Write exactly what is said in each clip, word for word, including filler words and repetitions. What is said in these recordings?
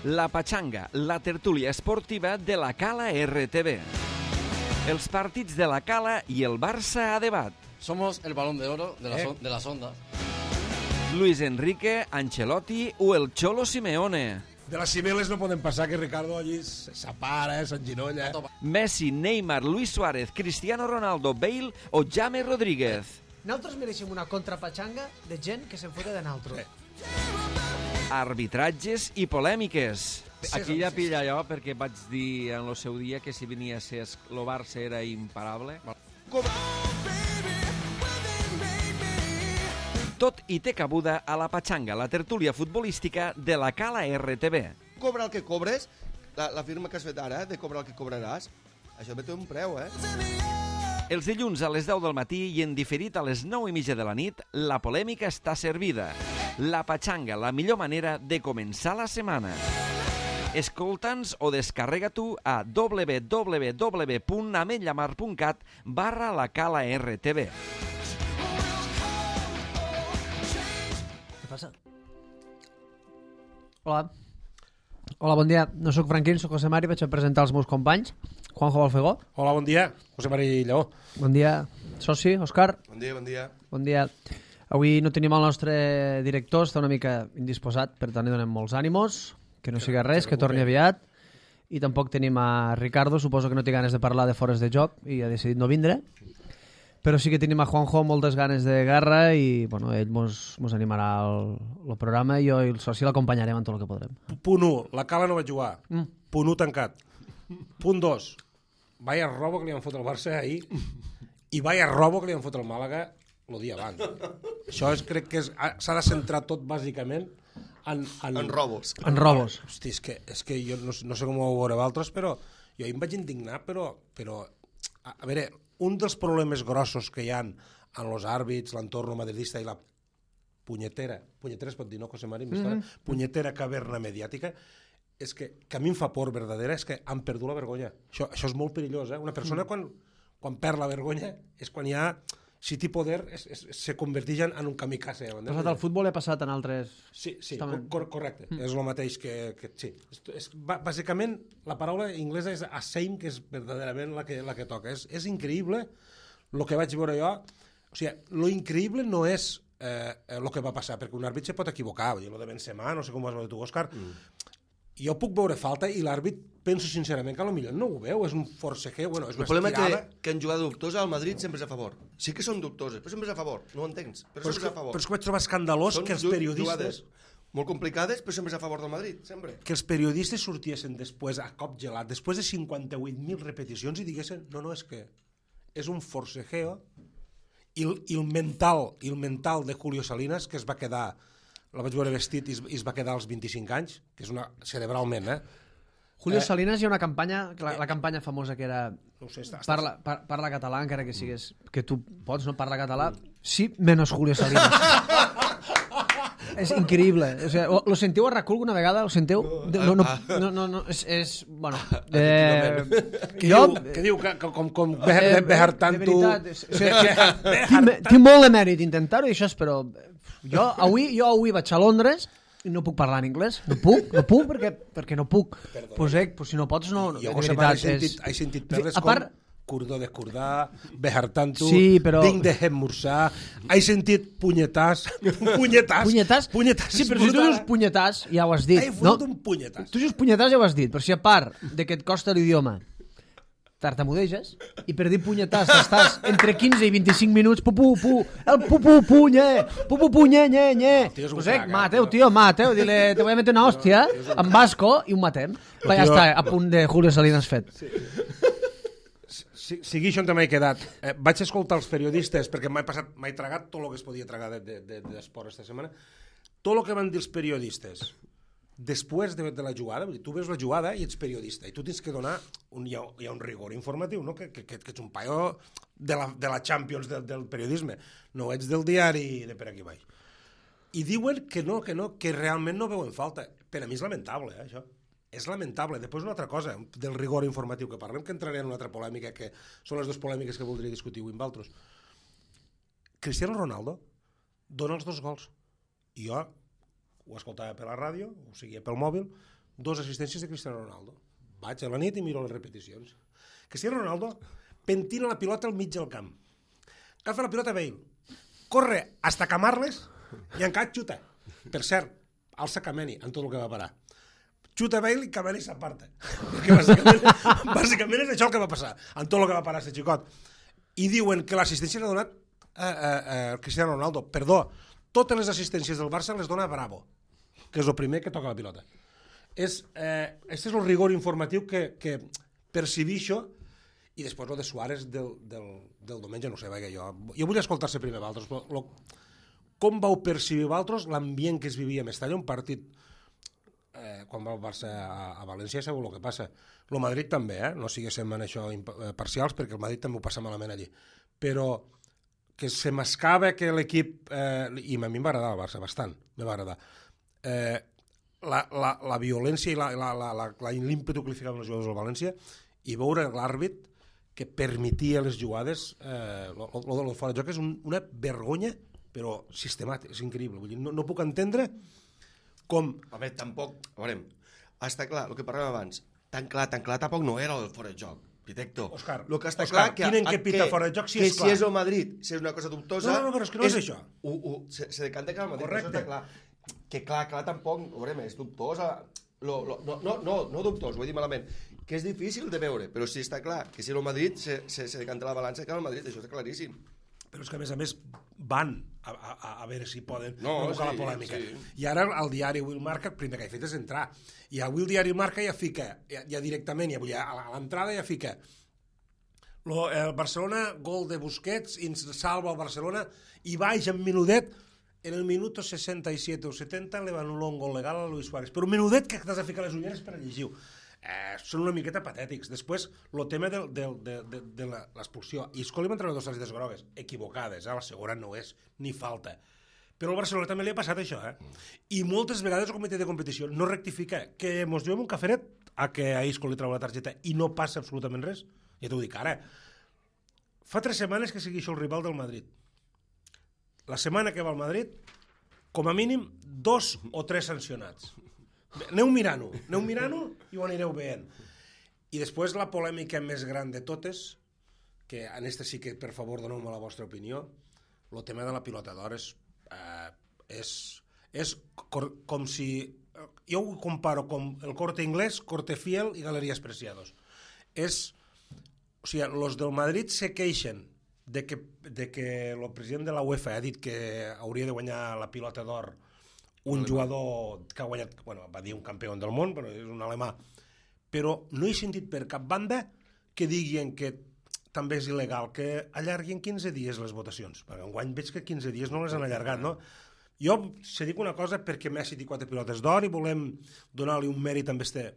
La Pachanga, la tertúlia esportiva de la Cala R T V. Els partits de la Cala i el Barça a debat. Somos el balón de oro de, la eh. de las ondas. Luis Enrique, Ancelotti o el Cholo Simeone. De les cibeles no poden passar que Ricardo allí s'apara, s'enginolla. Messi, Neymar, Luis Suárez, Cristiano Ronaldo, Bale o James Rodríguez. Nosaltres mereixem una contrapachanga de gent que se'n fota de nosaltres. Arbitratges i polèmiques. Aquí ja pilla allò perquè vaig dir en el seu dia que si venia a ser el Barça era imparable. Tot i té cabuda a la Pachanga, la tertúlia futbolística de la Cala R T V. Cobra el que cobres, la, la firma que has fet ara, de cobrar el que cobraràs, això té un preu, eh? Els dilluns a les deu del matí i en diferit a les nou i mitja de la nit, la polèmica està servida. La Pachanga, la millor manera de començar la setmana. Escolta'ns o descarrega tu a w w w punt ametlllamar punt cat barra la Cala R T V. Què passa? Hola. Hola, bon dia. No sóc Franquín, sóc José Mari, vaig a presentar els meus companys. Juanjo Balfegó. Hola, bon dia. José Mari Lleó. Bon dia, soci, Òscar. Bon dia, bon dia. Bon dia. Avui no tenim el nostre director, està una mica indisposat, per tant li donem molts ànimos, que no siga res, que torni aviat. I tampoc tenim a Ricardo, suposo que no té ganes de parlar de fores de joc i ha decidit no vindre. Però sí que tenim a Juanjo moltes ganes de guerra i bueno, ell mos, mos animarà el, el programa i jo i el soci l'acompanyarem en tot el que podrem. Punt u, la Cala no va jugar. Mm. Punt u tancat. Punt dos, vaya robo que li han fot el Barça ahir i vaya robo que li han fot el Màlaga el dia abans. Això és, crec que s'ha de centrar tot bàsicament en, en, en robos. En robos. Hosti, és que, és que jo no, no sé com ho veureu altres, però jo em vaig indignar, però, però a, a veure, un dels problemes grossos que hi ha en els àrbits, l'entorn madridista i la punyetera, punyetera es pot dir, no, José Mari? Mm-hmm. Punyetera caverna mediàtica, és que, que a mi em fa por verdadera, és que han perdut la vergonya. Això, això és molt perillós, eh? Una persona quan, quan perd la vergonya és quan hi ha, si té poder, es, es, se converteix en un kamikaze. Ha passat al futbol, ha passat en altres... Sí, sí, cor correcte, mm. és el mateix que... que sí. És, és, bàsicament, la paraula anglesa és ashamed, que és verdaderament la que, la que toca. És, és increïble el que vaig veure jo. O sigui, lo increïble no és el eh, que va passar, perquè un àrbit se pot equivocar, vull dir, lo de Benzema, no sé com ho has veure tu, Òscar, mm. jo puc veure falta i l'àrbit penso sincerament que potser no ho veu, és un forcejeo, bueno, és una estirada. El problema que, que en jugar dubtosa al Madrid sempre és a favor. Sí que són dubtoses, però sempre és a favor, no ho entens? Però, però, és, que, a favor. però és que vaig trobar escandalós són que els periodistes... molt complicades, però sempre és a favor del Madrid, sempre. Que els periodistes sortiessin després a cop gelat, després de cinquanta-vuit mil repeticions i diguessin, no, no, és que és un forcejeo i, i el mental i el mental de Julio Salinas, que es va quedar... la vaig veure vestit i es, i es va quedar als vint-i-cinc anys, que és una cerebralment, eh? Julio eh? Salinas hi ha una campanya, la, la campanya famosa que era no sé, està, parla, par, parla català, encara que sigues que tu pots, no? Parla català, sí, menos Julio Salinas. És increïble. O sigui, lo sentiu a RAC alguna vegada? Lo sentiu? No, no, no, no, no és, és bueno... Eh, que, jo, diu, que diu que com, com eh, Behar tanto... De veritat, o sigui, tinc molt de mèrit intentar-ho i això és, però... Jo avui, jo avui vaig a Londres i no puc parlar en anglès, no puc, no puc perquè, perquè no puc. Pues, eh, pues si no pots, no... Jo, de veritat, he sentit, és... he sentit perles com part... Curdó de Curdà, Behar tanto, sí, però... Vinc de Hemmursà, he sentit punyetàs, punyetàs, punyetàs, punyetàs, sí, però si tu dius punyetàs, ja ho has dit. He fotut un punyetàs. Tu dius punyetàs ja ho has dit, però si a part de que et costa l'idioma, tartamudeges, i per dir punyetàs estàs entre quinze i vint-i-cinc minuts, pu, pu, pu, el pu, pu, pu, nye, pu, pu, pu, nye, nye, nye. Pues eh, mateu, tio, mateu, dile, te voy a meter una hòstia, en vasco, i un matem. Va, ja està, a punt de Julio Salinas fet. Sigui això on m'he quedat. Eh, vaig escoltar els periodistes, perquè m'he passat, m'he tragat tot el que es podia tragar d'esport de, de, de aquesta setmana, tot el que van dir els periodistes després de, de la jugada, tu veus la jugada i ets periodista, i tu tens que donar un, hi, ha, hi ha un rigor informatiu, no? que, que, que ets un paio de la, de la Champions del, del periodisme, no ets del diari de per aquí baix. I diuen que no, que no, que realment no veuen falta. Per a mi és lamentable, eh, això. És lamentable. Després una altra cosa, del rigor informatiu que parlem, que entraré en una altra polèmica, que són les dues polèmiques que voldria discutir avui amb altres. Cristiano Ronaldo dona els dos gols. I jo ho escoltava per la ràdio, ho seguia pel mòbil, dos assistències de Cristiano Ronaldo. Vaig a la nit i miro les repeticions. Cristiano Ronaldo pentina la pilota al mig del camp. Agafa la pilota Bale, corre hasta Camarles i encara xuta. Per cert, alça Kameni en tot el que va parar. Xuta Bale i Kameni s'aparta. Perquè bàsicament, bàsicament és això el que va passar, en tot el que va parar aquest xicot. I diuen que l'assistència l'ha donat a, a, a Cristiano Ronaldo. Perdó, totes les assistències del Barça les dona Bravo, que és el primer que toca la pilota. És, eh, este és el rigor informatiu que, que percibí això, i després el de Suárez del, del, del diumenge, no sé, vaja, jo, jo vull escoltar-se primer Valtros, però lo, com vau percibir Valtros l'ambient que es vivia a Mestalla, un partit, eh, quan va el Barça a, a València, sabeu el que passa. El Madrid també, eh? No siguéssim en això parcials, perquè el Madrid també ho passa malament allí. Però que se mascava que l'equip, eh, i a mi em va agradar el Barça, bastant, me va agradar, eh, la, la, la violència i l'ímpetu que li ficaven els jugadors del València, i veure l'àrbit que permetia les jugades, eh, el de fora de joc és un, una vergonya, però sistemàtica, és increïble. Vull dir, no, no puc entendre com... A veure, tampoc... A veure, està clar, el que parlàvem abans, tan clar, tan clar, tampoc no era el fora de joc. Pitecto. Òscar, lo que està Òscar, clar que, quin en què pita fora de joc si que és clar? si és el Madrid, si és una cosa dubtosa... No, no, però és que no és, és això. Ho, ho, se, se decanta que el Madrid, correcte. Això està clar. Que clar, clar, tampoc, veurem, és dubtosa... Lo, lo, no, no, no, no dubtós, ho he dit malament, que és difícil de veure, però sí està clar que si el Madrid se, se, se decanta la balança que el Madrid, això està claríssim. Però és que a més a més van a, a, a veure si poden no, provocar sí, la polèmica. Sí. I ara el diari Will Marca, el primer que ha fet és entrar. I avui el diari Marca ja fica, ja, ja directament, ja, ja a l'entrada ja fica lo, el Barcelona, gol de Busquets, i ens salva el Barcelona, i baix en minudet. En el minuto seixanta-set o setanta le van un gol legal a Luis Suárez. Però un minutet que t'has de ficar les ulleres per a llegir-ho. Eh, són una miqueta patètics. Després, el tema de, de, de, de, de l'expulsió. I Escoli va entrar dos targetes grogues, equivocades, eh? La segona no és, ni falta. Però al Barcelona també li ha passat això, eh? I moltes vegades el comitè de competició no rectifica que mos juguem un caferet a que a Isco li trau la targeta i no passa absolutament res. Ja t'ho dic ara. Fa tres setmanes que segueixo el rival del Madrid. La setmana que va al Madrid, com a mínim, dos o tres sancionats. Aneu mirant-ho, aneu mirant-ho i ho anireu veient. I després la polèmica més gran de totes, que en este sí que, per favor, doneu-me la vostra opinió, el tema de la pilota d'or és, eh, és, és cor, com si... Jo ho comparo com el Corte Inglés, Corte Fiel i Galeries Preciados. És... O sigui, els del Madrid se queixen de que, de que el president de la UEFA ha dit que hauria de guanyar la pilota d'or un jugador que ha guanyat, bueno, va dir un campió del món, però és un alemà. Però no he sentit per cap banda que diguin que també és il·legal que allarguin quinze dies les votacions. Perquè enguany veig que quinze dies no les han allargat, no? Jo se dic una cosa perquè Messi té quatre pilotes d'or i volem donar-li un mèrit amb este...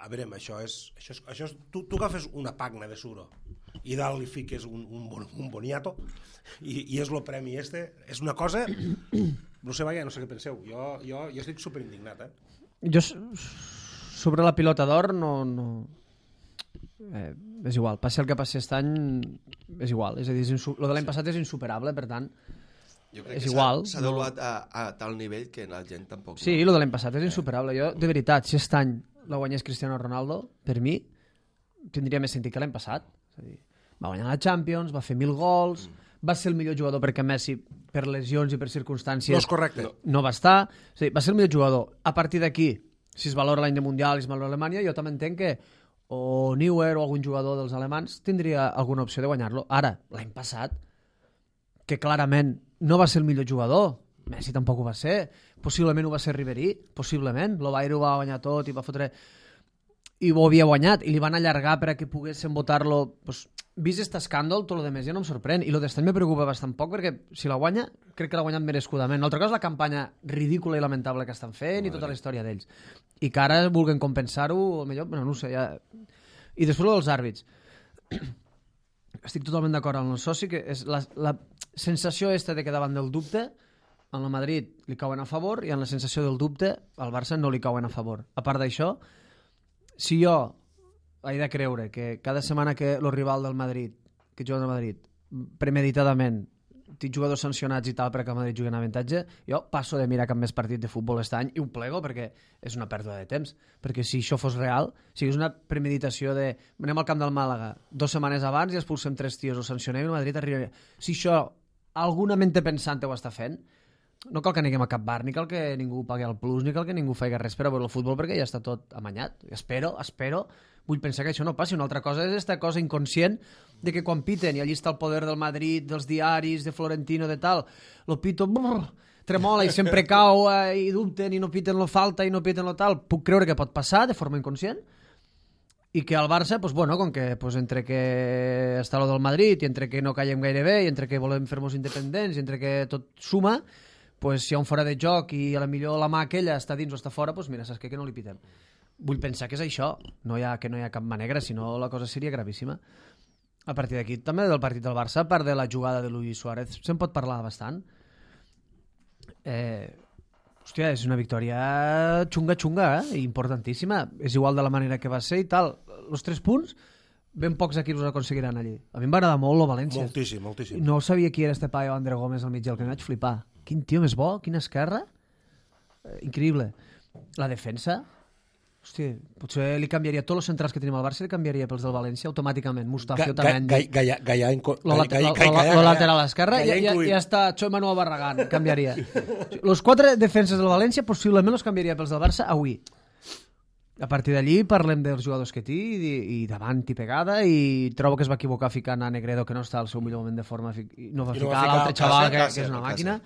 A veure, això és... Això és, això és tu, tu agafes una pagna de suro i dalt li fiques un, un, un boniato i, i és el premi este. És una cosa... No sé, vaja, no sé què penseu. Jo, jo, jo estic superindignat, eh? Jo, sobre la pilota d'or, no... no... Eh, és igual. Passi el que passi aquest any, és igual. És a dir, és insu... lo de l'any passat és insuperable, per tant, jo crec és que igual. S'ha devaluat a, a tal nivell que la gent tampoc... Sí, no. lo de l'any passat és insuperable. Jo, de veritat, si aquest any la guanyés Cristiano Ronaldo, per mi, tindria més sentit que l'any passat. És a dir, va guanyar la Champions, va fer mil gols, mm. va ser el millor jugador perquè Messi, per lesions i per circumstàncies... No és correcte. No, no va estar. És a dir, va ser el millor jugador. A partir d'aquí, si es valora l'any de Mundial i es valora Alemanya, jo també entenc que o Neuer o algun jugador dels alemans tindria alguna opció de guanyar-lo. Ara, l'any passat, que clarament no va ser el millor jugador, Messi tampoc ho va ser, possiblement ho va ser Ribéry, possiblement, el Bayern ho va guanyar tot i va fotre... i ho havia guanyat, i li van allargar per a que poguessin votar-lo... Pues, vist aquest escàndol, tot el de més ja no em sorprèn, i el d'estany me preocupa bastant poc, perquè si la guanya, crec que l'ha guanyat merescudament. L'altra cosa és la campanya ridícula i lamentable que estan fent i tota la història d'ells. I que ara vulguen compensar-ho, o millor, bueno, no ho sé, ja... I després dels àrbits. Estic totalment d'acord amb el soci, que és la, la sensació esta de que davant del dubte, en el Madrid li cauen a favor, i en la sensació del dubte, al Barça no li cauen a favor. A part d'això, si jo he de creure que cada setmana que el rival del Madrid, que juga al Madrid, premeditadament tinc jugadors sancionats i tal perquè el Madrid jugui en avantatge, jo passo de mirar cap més partit de futbol aquest any i ho plego perquè és una pèrdua de temps. Perquè si això fos real, si és una premeditació de anem al camp del Màlaga dues setmanes abans i expulsem tres tios, o sancionem i el Madrid arribaria. Si això alguna mente pensant ho està fent, no cal que aneguem a cap bar, ni cal que ningú pagui el plus, ni cal que ningú faci res per a veure el futbol perquè ja està tot amanyat. Espero, espero, vull pensar que això no passi. Una altra cosa és aquesta cosa inconscient de que quan piten, i allí està el poder del Madrid, dels diaris, de Florentino, de tal, lo pito, brrr, tremola i sempre cau eh, i dubten i no piten lo falta i no piten lo tal. Puc creure que pot passar de forma inconscient i que al Barça, pues, bueno, com que pues, entre que està lo del Madrid i entre que no callem gaire bé i entre que volem fer-nos independents i entre que tot suma, pues, si hi ha un fora de joc i a la millor la mà aquella està dins o està fora, pues, mira, saps què? Que no li pitem. Vull pensar que és això, no hi ha, que no hi ha cap mà negra, sinó la cosa seria gravíssima. A partir d'aquí, també del partit del Barça, a part de la jugada de Luis Suárez, se'n pot parlar bastant. Eh, hòstia, és una victòria xunga-xunga, eh? Importantíssima. És igual de la manera que va ser i tal. Els tres punts, ben pocs equips els aconseguiran allí. A mi em va agradar molt el València. Moltíssim, moltíssim. No sabia qui era este paio André Gómez al mig del que em vaig flipar. Quin tio més bo, quina esquerra. Eh, increïble. La defensa... Hòstia, potser li canviaria tots els centrals que tenim al Barça, li canviaria pels del València automàticament. Mustafi, Otamendi, lo lateral esquerra, ja, ja, ja està Choi Manuel Barragán, canviaria. Els quatre defenses del València possiblement els canviaria pels del Barça avui. A partir d'allí parlem dels jugadors que té i, i davant i pegada, i trobo que es va equivocar ficant a Negredo, que no està al seu millor moment de forma, i no va ficar, no va ficar l'altre xaval, que, que és una màquina.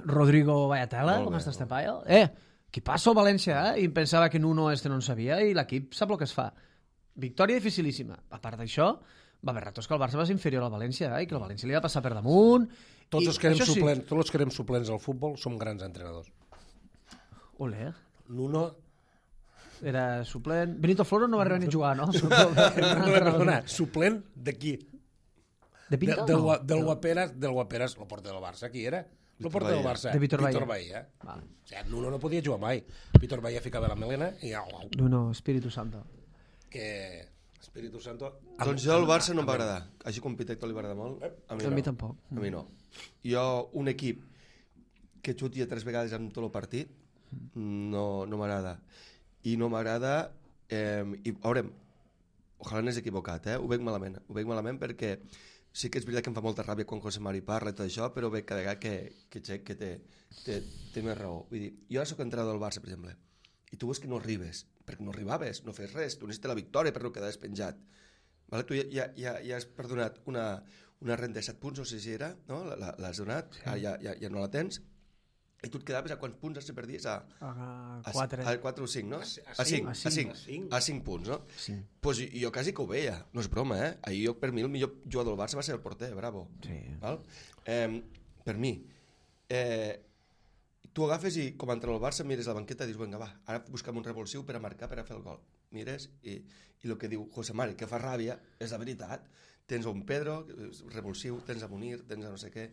Rodrigo Vallatela, com està este paio? Eh, qui passa al València, eh? I pensava que Nuno este no en sabia i l'equip sap el que es fa. Victòria dificilíssima. A part d'això, va haver ratos que el Barça va ser inferior al València, eh? I que el València li va passar per damunt. Tots els que érem suplents, sí. Tots els que érem suplents al futbol som grans entrenadors. Olé. Nuno era suplent. Benito Floro no va arribar ni a jugar, no? Perdona, suplent de qui? De Pinto? De, del, no? del Guaperas, del Guaperas, el porter del Barça, qui era? El porter del Barça. De Víctor Bahía. Víctor Bahía. Vale. O sigui, Nuno no podia jugar mai. Víctor Bahía ficava la melena i... Nuno, Espíritu Santo. Que... Espíritu Santo... Doncs jo el Barça no em va agradar. Així com Pitecto li va agradar molt. A mi, a no. mi tampoc. A mi no. Jo, un equip que xutia tres vegades en tot el partit, no, no m'agrada. I no m'agrada... Eh, i, veurem, ojalà n'és equivocat, eh? Ho veig malament. Ho veig malament perquè sí que és veritat que em fa molta ràbia quan José Mari parla i tot això, però veig cada vegada que, que, que té, té, té més raó. Vull dir, jo ara soc entrenador del Barça, per exemple, i tu veus que no arribes, perquè no arribaves, no fes res, tu necessites la victòria per no quedar penjat. Vale? Tu ja, ja, ja, ja has perdonat una, una renta de set punts, no sé si era, no? L'has donat, sí. Ara ja, ja, ja no la tens, i tu et quedaves a quants punts es perdies? A, a, quatre. A, a quatre o cinc, no? A cinc, a cinc, a cinc, a cinc punts, no? Sí. Pues jo quasi que ho veia, no és broma, eh? Ahir jo, per mi el millor jugador del Barça va ser el porter, bravo. Sí. Val? Eh, per mi. Eh, tu agafes i, com a entrenador del Barça, mires la banqueta i dius, vinga, va, ara buscam un revulsiu per a marcar, per a fer el gol. Mires i, i el que diu José Mari, que fa ràbia, és la veritat. Tens un Pedro, revulsiu, tens a Munir, tens a no sé què...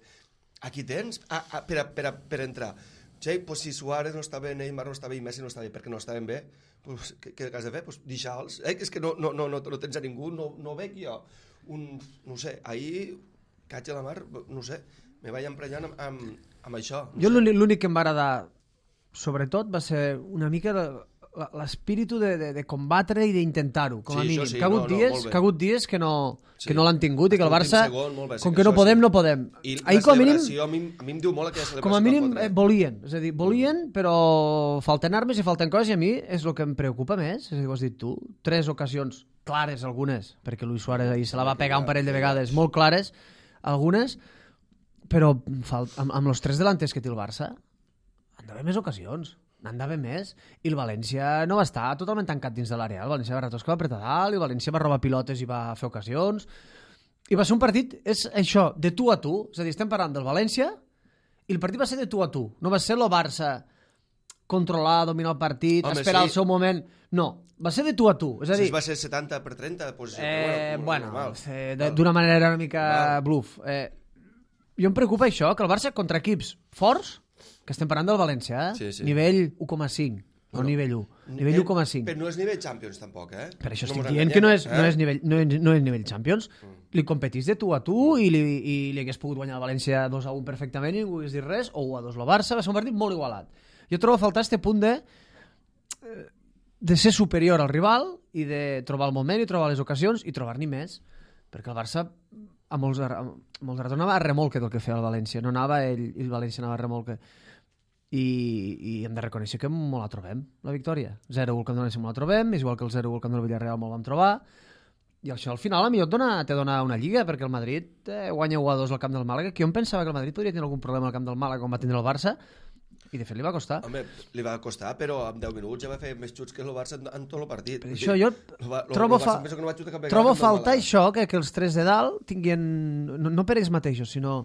Aquí tens a, a, per, a, per, a, per entrar. Sí, pues si Suárez no està bé, Neymar no està bé i Messi no està bé perquè no estaven bé, pues, què, què has de fer? Pues deixar-los. Eh? És que no, no, no, no, no tens a ningú, no, no veig jo. Un, no sé, ahir, caig a la mar, no sé, me vaig emprenyant amb, amb, amb això. No jo l'únic que em va agradar, sobretot, va ser una mica de, l'espíritu de, de, de combatre i d'intentar-ho, com a sí, mínim. Sí, que ha hagut no, dies, no, que, ha hagut dies que no, sí. que no l'han tingut i que el Barça, segon, bé, com que, que no podem, sí. no podem. I ahir, com a mínim, a mi, a mi em diu molt aquella celebració. com a mínim eh, volien, és a dir, volien, però falten armes i falten coses i a mi és el que em preocupa més, és a dir, ho has dit tu, tres ocasions clares, algunes, perquè Luis Suárez ahir se la va pegar un parell de vegades, molt clares, algunes, però amb, amb els tres delanters que té el Barça han d'haver més ocasions. N'han d'haver més, i el València no va estar totalment tancat dins de l'àrea. El València va ratos que va apretar dalt, i el València va robar pilotes i va fer ocasions, i va ser un partit, és això, de tu a tu, és a dir, estem parlant del València, i el partit va ser de tu a tu, no va ser el Barça controlar, dominar el partit, Home, esperar sí. el seu moment, no, va ser de tu a tu, és a dir... Si va ser setanta per trenta, doncs... Eh, bueno, bueno eh, d'una manera una mica Val. bluff. Eh, jo em preocupa això, que el Barça contra equips forts, que estem parlant del València, eh? Sí, sí. Nivell u coma cinc. no nivell u. Nivell u coma cinc. Però no és nivell Champions, tampoc, eh? Per això no estic dient que no és, eh? no, és nivell, no, és, no és nivell Champions. Mm. Li competís de tu a tu i li, i li hagués pogut guanyar el València dos a un perfectament i ningú hagués dit res, o u a dos el Barça. Va ser un partit molt igualat. Jo trobo a faltar este punt de de ser superior al rival i de trobar el moment i trobar les ocasions i trobar-n'hi més, perquè el Barça a molts, a molts ratos anava a remolque del que feia el València, no anava ell i el València anava a remolque. I, i hem de reconèixer que molt la trobem, la victòria. zero u al Camp del València molt la trobem, és igual que el zero u al Camp del Villarreal molt vam trobar, i això al final a mi et dona, te dona una lliga, perquè el Madrid eh, guanya u a dos al Camp del Màlaga, que jo em pensava que el Madrid podria tenir algun problema al Camp del Màlaga com va tindre el Barça, i de fet li va costar. Home, li va costar, però en deu minuts ja va fer més xuts que el Barça en, en tot el partit. Per això jo va, trobo, Barça, fa... no va xutar cap vegada trobo cap falta això, que, que els tres de dalt tinguin, no, no per ells mateixos, sinó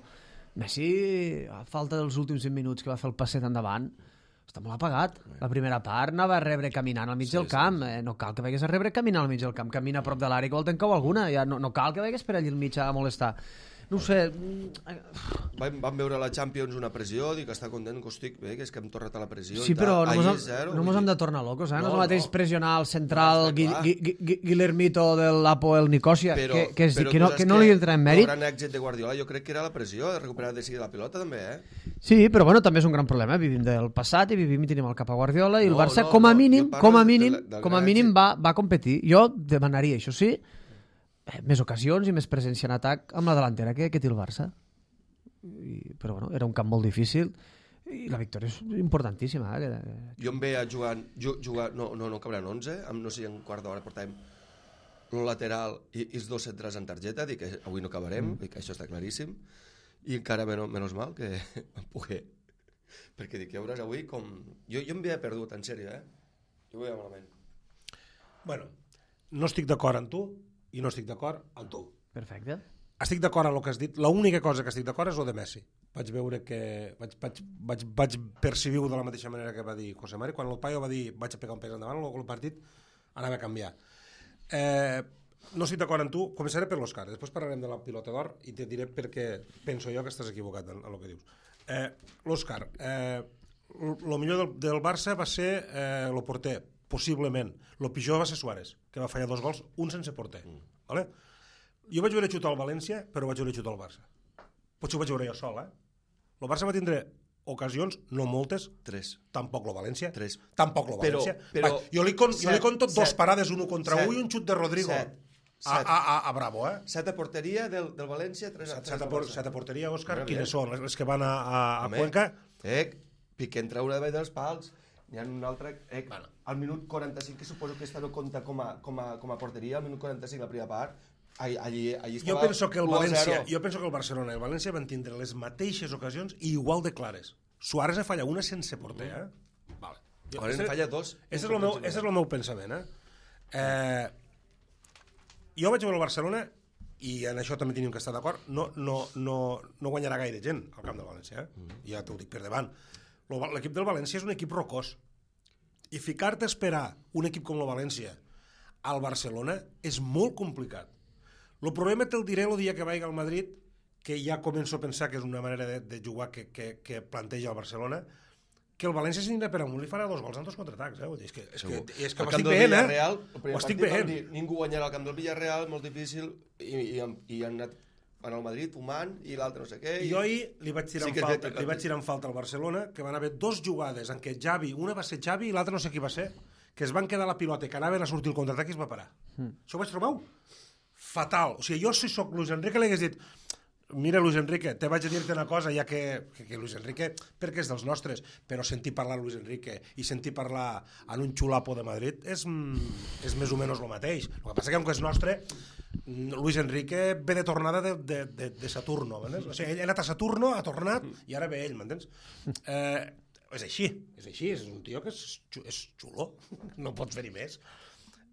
Messi, a falta dels últims vint minuts que va fer el passet endavant, està molt apagat. La primera part anava a rebre caminant al mig sí, del camp. Sí, sí. Eh, no cal que vagis a rebre caminant al mig del camp. Camina a prop de l'àrea que vol tancar alguna. Ja no, no cal que vagis per allà al mig a molestar. No ho sé. Vam, vam veure a la Champions una pressió, dic que està content, que estic bé, que és que hem tornat a la pressió. Sí, però no mos hem, no mos hem de tornar locos, eh? No, no és el mateix no. pressionar el central no, Gui, Gui, Gui, Guillermito del Apoel Nicosia, però, que, que, és, que, no, que no li entra en mèrit. El gran èxit de Guardiola jo crec que era la pressió, de recuperar de seguida la pilota també, eh? Sí, però bueno, també és un gran problema. Vivim del passat i vivim i tenim el cap a Guardiola i no, el Barça, no, com a no, mínim, com a mínim, del, del com a mínim va, va competir. Jo demanaria, això sí, més ocasions i més presència en atac amb la delantera que, que té el Barça. I, però bueno, era un camp molt difícil i la victòria és importantíssima. Eh? Jo em veia jugant, jugar, no, no, no cabran onze, amb, no sé, en quart d'hora portàvem el lateral i, i els dos centres en targeta, dic que avui no acabarem, mm. dic que això està claríssim, i encara menys, menys mal que em pogué, perquè dic, ja veuràs avui com... Jo, jo em veia perdut, en sèrio, eh? Jo ho veia malament. Bueno, no estic d'acord amb tu, i no estic d'acord amb tu. Perfecte. Estic d'acord amb el que has dit. L'única cosa que estic d'acord és el de Messi. Vaig veure que... Vaig, vaig, vaig, vaig percebir-ho de la mateixa manera que va dir José Mari. Quan el paio va dir vaig a pegar un pes endavant, el partit anava a canviar. Eh, no estic d'acord amb tu. Començaré per l'Òscar. Després parlarem de la pilota d'or i te diré perquè penso jo que estàs equivocat en, en el que dius. Eh, L'Òscar. Eh, el millor del, del Barça va ser eh, el porter, possiblement. El pitjor va ser Suárez, que va fallar dos gols, un sense porter. Mm. Vale? Jo vaig veure xutar el València, però vaig veure xutar el Barça. Potser ho vaig veure jo sol, eh? El Barça va tindre ocasions, no moltes. Tres. Tampoc el València. Tres. Tampoc el València. Però, però, va, jo li conto jo li conto dos parades, un contra set, un i un xut de Rodrigo. Set. A, a, a, a Bravo, eh? Set a porteria del, del València, tres a, set, set, a, por, set a porteria, Òscar. Bueno, quines són? Les que van a, a, a Home, Cuenca? Eh, Piqué en treure davall dels pals. N'hi ha un altre... Eh, bueno. Al minut quaranta-cinc, que suposo que esta no compta com a, com a, com a porteria, al minut quaranta-cinc, la primera part, allí, allí estava jo penso que el València, u a zero. jo penso que el Barcelona i el València van tindre les mateixes ocasions i igual de clares. Suárez falla una sense porter, eh? Vale. Jo, Ara en falla dos. Ese és el meu, ese és el meu pensament, eh? eh? Jo vaig veure el Barcelona i en això també tenim que estar d'acord. No, no, no, no guanyarà gaire gent al camp del València, eh? Mm. Ja t'ho dic per davant. L'equip del València és un equip rocós. I ficar-te a esperar un equip com el València al Barcelona és molt complicat. El problema te'l diré el dia que vagi al Madrid, que ja començo a pensar que és una manera de, de jugar que, que, que planteja el Barcelona, que el València s'anirà per amunt i farà dos gols en dos contraatacs. Eh? És que, és que, és que m'estic veient, eh? Ho estic veient. Ningú guanyarà al camp del Villarreal, molt difícil, i, i, i han anat en el Madrid fumant i l'altre no sé què. I... Jo ahir li vaig tirar, sí en falta, li vaig tirar en falta al Barcelona, que van haver dos jugades en què Xavi, una va ser Xavi i l'altra no sé qui va ser, que es van quedar la pilota i que anaven a sortir el contraatac i es va parar. Mm. Això ho vaig trobar fatal. O sigui, jo si soc Luis Enrique li hagués dit mira, Luis Enrique, te vaig a dir-te una cosa, ja que, que, que Luis Enrique, perquè és dels nostres, però sentir parlar Luis Enrique i sentir parlar en un xulapo de Madrid és, és més o menys el mateix. El que passa que, com que és nostre, Luis Enrique ve de tornada de, de, de, de Saturno, m'entens? O sigui, ell ha anat a Saturno, ha tornat, i ara ve ell, m'entens? Eh, és així, és així, és un tio que és, és xulo, no pots fer-hi més.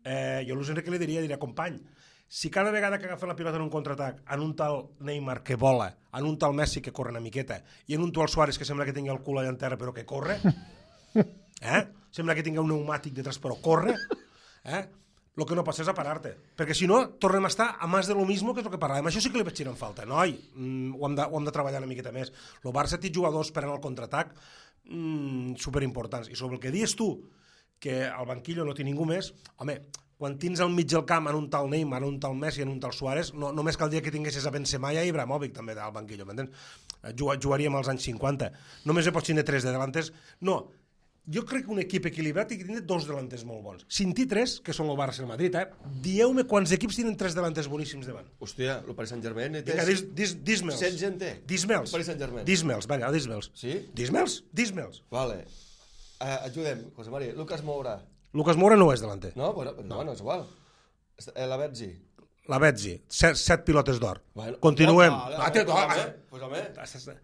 Eh, jo a Luis Enrique li diria, diria, company, si cada vegada que agafen la pilota en un contraatac en un tal Neymar que vola, en un tal Messi que corre una miqueta i en un tal Suárez que sembla que tingui el cul allà en terra però que corre, eh? Sembla que tingui un pneumàtic detrás però corre, eh? El que no pots és a parar-te, perquè si no tornem a estar a més de lo mismo que és el que parlàvem. Això sí que li vaig tirar en falta, noi, mm, ho, hem de, ho hem de treballar una miqueta més. El Barça té jugadors per anar al contraatac mm, superimportants, i sobre el que dius tu que al banquillo no té ningú més, home, quan tens al mig del camp en un tal Neymar, en un tal Messi, en un tal Suárez, no, només caldria que tinguessis a Benzema i a Ibrahimovic també al banquillo, m'entens? Jugaríem als anys cinquanta. Només hi pots tindre tres de delanters. No, jo crec que un equip equilibrat té que tindre dos delanters molt bons. Si en té tres, que són el Barça i el Madrid, eh? Dieu-me quants equips tenen tres delanters boníssims davant. Hòstia, el Paris Saint-Germain... Vinga, dis, dis, dis-me'ls. Set gent té. Dis-me'ls. El Paris Saint-Germain. Dis-me'ls, vinga, dis-me'ls. Sí? Dis-me'ls, dis-me'ls. Vale. Uh, ajudem, José María. Lucas Moura. Lucas Moura no és delanter. No, bueno, no, no és igual. Eh, la Betzi. La Betzi, set, set pilotes d'or. Bueno, Continuem. Vale, Ah, vale, té- pues, ah, home, pues, home.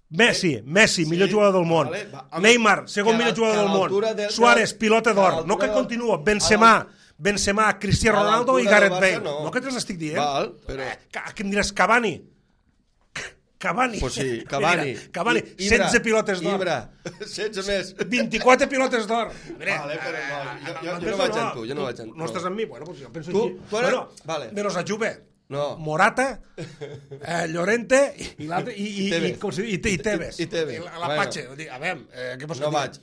Messi, Messi, Sí, millor jugador del món. vale, va, home, Neymar, que segon a la- millor jugador que a del món. l'altura del- Suárez, pilota que a d'or. l'altura No que del- continua. a Benzema, la- Benzema, Cristiano a Ronaldo i l'altura del Gareth Barça, Bale. no. No que te l'estic dient. Val, però- Eh, ca- què em diràs? Cavani. Cavani. Pues sí, Què Cavani. dirà? Cavani, I- Ibra, setze pilotes d'or. Ibra, setze més. vint-i-quatre pilotes d'or. Mira, Vale, però no, eh, jo- jo- jo m'entens no o vaig amb tu, jo no vaig amb No tu. estàs amb mi? Bueno, pues jo penso Tu- aquí. tu ara- Bueno, vale. menos a Juve. No. Morata, eh, Llorente i l'altre i, i, i, Tevez. com se diu? I, i Tevez. I- i Tevez. I la, la Bueno. Patxe. Dic, a veure, eh, què vols No que digui? vaig.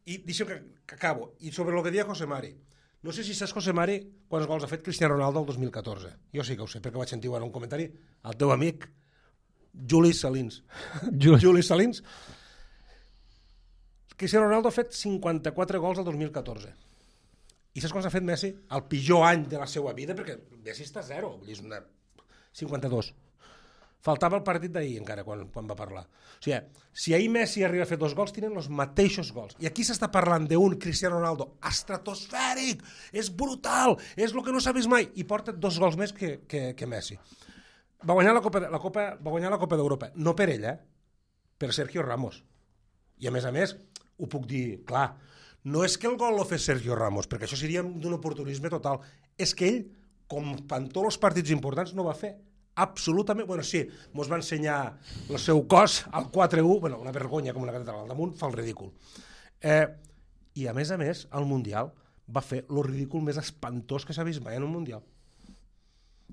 I deixa'm que, que acabo. I sobre el que deia José Mari. No sé si saps, José Mari, quants gols ha fet Cristiano Ronaldo el dos mil catorze. Jo sí que ho sé, perquè vaig sentir en un comentari al teu amic Juli Salins. Juli. Juli Salins. Cristiano Ronaldo ha fet cinquanta-quatre gols el dos mil catorze. I saps quants ha fet Messi? El pitjor any de la seva vida, perquè Messi està a zero. Vull dir, és una... cinquanta-dos. Faltava el partit d'ahir encara, quan, quan va parlar. O sigui, si ahir Messi arriba a fer dos gols, tenen els mateixos gols. I aquí s'està parlant d'un Cristiano Ronaldo estratosfèric, és brutal, és el que no s'ha vist mai, i porta dos gols més que, que, que Messi. Va guanyar la Copa, la Copa, va guanyar la Copa d'Europa, no per ell, eh? Per Sergio Ramos. I a més a més, ho puc dir, clar, no és que el gol lo fes Sergio Ramos, perquè això seria d'un oportunisme total, és que ell, com en tots els partits importants, no va fer absolutament... Bueno, sí, mos va ensenyar el seu cos al quatre u, bueno, una vergonya com una catedral al damunt, fa el ridícul. Eh, I a més a més, al Mundial va fer el ridícul més espantós que s'ha vist mai en un Mundial.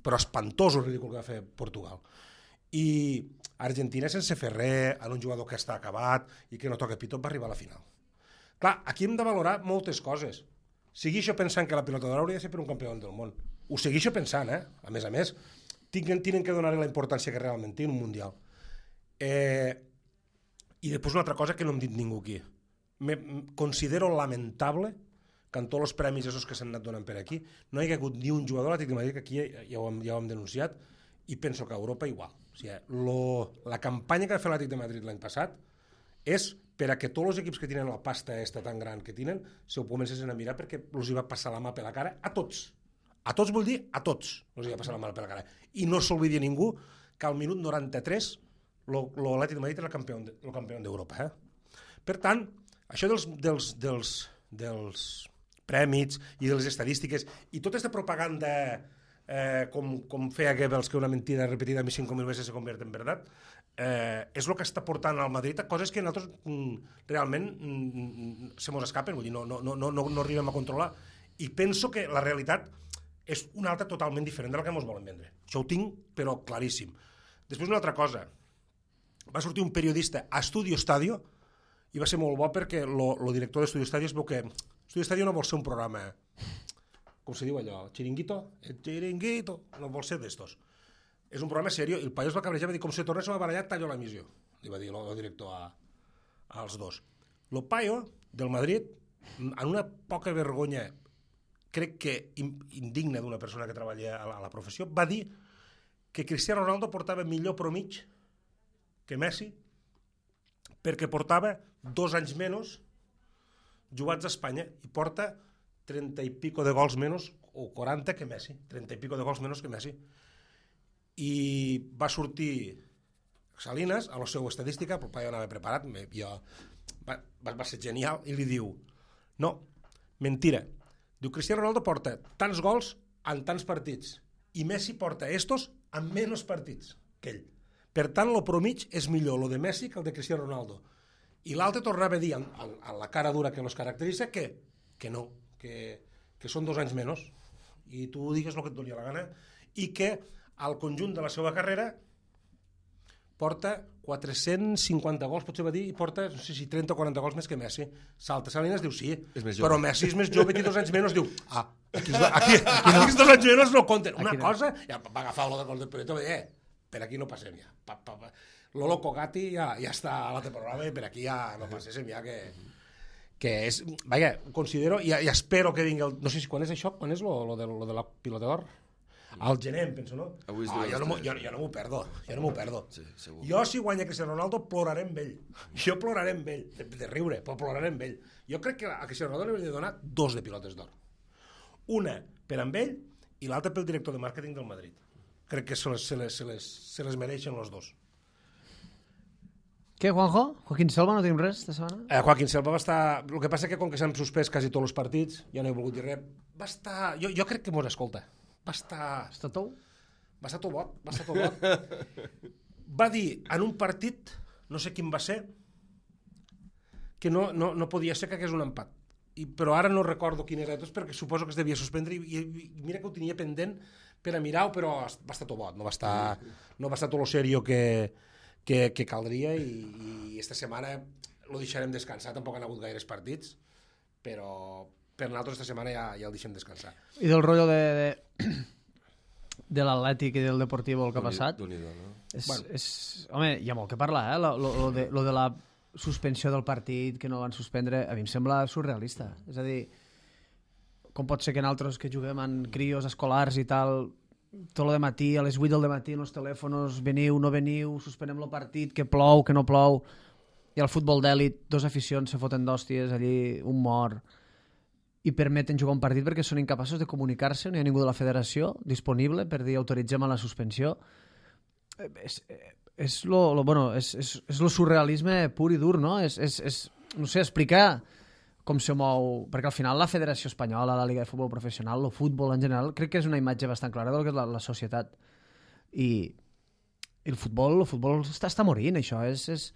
Però espantós el ridícul que va fer Portugal. I Argentina, sense fer res, en un jugador que està acabat i que no toca pito, va arribar a la final. Clar, aquí hem de valorar moltes coses. Segueixo pensant que la pilota d'or hauria de ser per un campió del món. Ho segueixo pensant, eh? A més a més, tenen, tenen que donar-li la importància que realment té en un Mundial. Eh, I després una altra cosa que no hem dit ningú aquí. Me, considero lamentable que en tots els premis esos que s'han anat donant per aquí no hi ha hagut ni un jugador a l'Atlètic de Madrid, que aquí ja ho, hem, ja ho hem denunciat, i penso que a Europa igual. O sigui, lo, la campanya que va fer l'Atlètic de Madrid l'any passat és per a que tots els equips que tenen la pasta esta tan gran que tenen se ho comencessin a mirar, perquè els hi va passar la mà per la cara a tots. A tots vull dir a tots els hi va passar la mà per la cara. I no s'oblidi ningú que al minut noranta-tres l'Atlètic de Madrid és el campió, el campió d'Europa. Eh? Per tant, això dels, dels, dels, dels prèmits i de les estadístiques i tota aquesta propaganda eh, com, com feia Goebbels, que una mentida repetida a mi cinco mil veces se convierte en verdad, eh, és el que està portant al Madrid a coses que nosaltres mm, realment mm, se mos escapen, vull dir, no, no, no, no, no arribem a controlar. I penso que la realitat és una altra totalment diferent de la que ens volen vendre. Això ho tinc, però claríssim. Després una altra cosa. Va sortir un periodista a Estudio Estadio i va ser molt bo perquè el director d'Estudio Estadio es veu que Estudio Estadio no vol ser un programa, com se diu allò, chiringuito, el chiringuito, no vol ser d'estos. És un programa seriós, i el paio es va cabrejar, va dir, com se tornés a barallar, tallo l'emissió, li va dir el director a, als dos. El paio del Madrid, en una poca vergonya, crec que indigna d'una persona que treballa a la, a la professió, va dir que Cristiano Ronaldo portava millor promig que Messi perquè portava dos anys menys jugats a Espanya i porta trenta i pico de gols menys o quaranta que Messi, trenta i pico de gols menys que Messi. I va sortir Salinas a la seva estadística, però el paio anava preparat, jo, va, va ser genial, i li diu, no, mentira, diu, Cristiano Ronaldo porta tants gols en tants partits i Messi porta estos en menys partits que ell. Per tant, el promig és millor el de Messi que el de Cristiano Ronaldo. I l'altre tornava a dir, en, en, en la cara dura que els caracteritza, que, que no, que, que són dos anys menys, i tu digues el que et donia la gana, i que al conjunt de la seva carrera porta quatre-cents cinquanta gols, potser va dir, i porta, no sé si trenta o quaranta gols més que Messi. Salta Salinas, diu sí, però Messi és més jove, té dos anys menys, diu, ah, aquí, aquí, aquí, aquí dos anys menys no compten. Una cosa, ja va agafar el gol del Puyol, eh, per aquí no passem ja. Pa, pa, pa. Lolo Cogati ja, ja està a l'altre programa i per aquí ja no passéssim ja que... que és, vaja, considero, i, i espero que vingui el... No sé si quan és això, quan és lo, lo, de, lo de la pilota d'or? Al gener, em penso, no? Avui és ah, jo, no jo, jo no m'ho perdo, jo no m'ho perdo. Sí, segur. Jo, si guanya Cristiano Ronaldo, ploraré amb ell. Jo ploraré amb ell, de, de riure, però ploraré amb ell. Jo crec que a Cristiano Ronaldo li hauria de donar dos de pilotes d'or. Una per amb ell i l'altra pel director de màrqueting del Madrid. Crec que se les, se les, se les, se les mereixen els dos. Què, Juanjo? Joaquín Selva, no tenim res de setmana? Eh, Joaquín Selva va estar... El que passa que com que s'han suspès quasi tots els partits, ja no he volgut dir res, va estar... Jo, jo crec que mos escolta. Va estar... Està tou? Va estar tot bot, va estar tot bot. Va dir en un partit, no sé quin va ser, que no, no, no podia ser que hagués un empat. I, però ara no recordo quin era, perquè suposo que es devia suspendre i, i, i mira que ho tenia pendent per a mirar-ho, però va estar tot bot, no va estar, no va estar tot lo serio que, que, que caldria i, i esta setmana lo deixarem descansar, tampoc han hagut gaires partits, però per nosaltres esta setmana ja, ja el deixem descansar. I del rotllo de... de... de l'Atlètic i del Deportivo el que ha passat no? és, Bueno. és, home, hi ha molt que parlar eh? lo, lo, lo, de, lo de la suspensió del partit que no van suspendre, a mi em sembla surrealista, és a dir, com pot ser que nosaltres que juguem en crios escolars i tal, tot el matí a les vuit del matí en els telèfons, veniu, no veniu, suspenem el partit, que plou, que no plou, i al futbol d'èlit dos aficions se foten d'hòsties allí, un mort, i permeten jugar un partit perquè són incapaços de comunicar-se, no hi ha ningú de la federació disponible per dir autoritzem a la suspensió. És, és, lo, lo, bueno, és, és, és lo surrealisme pur i dur, no? És, és, és, no sé, explicar com se mou... Perquè al final la Federació Espanyola, la Liga de Futbol Professional, el futbol en general, crec que és una imatge bastant clara del que és la, la societat. I, i el futbol, el futbol està, està morint, això. És, és,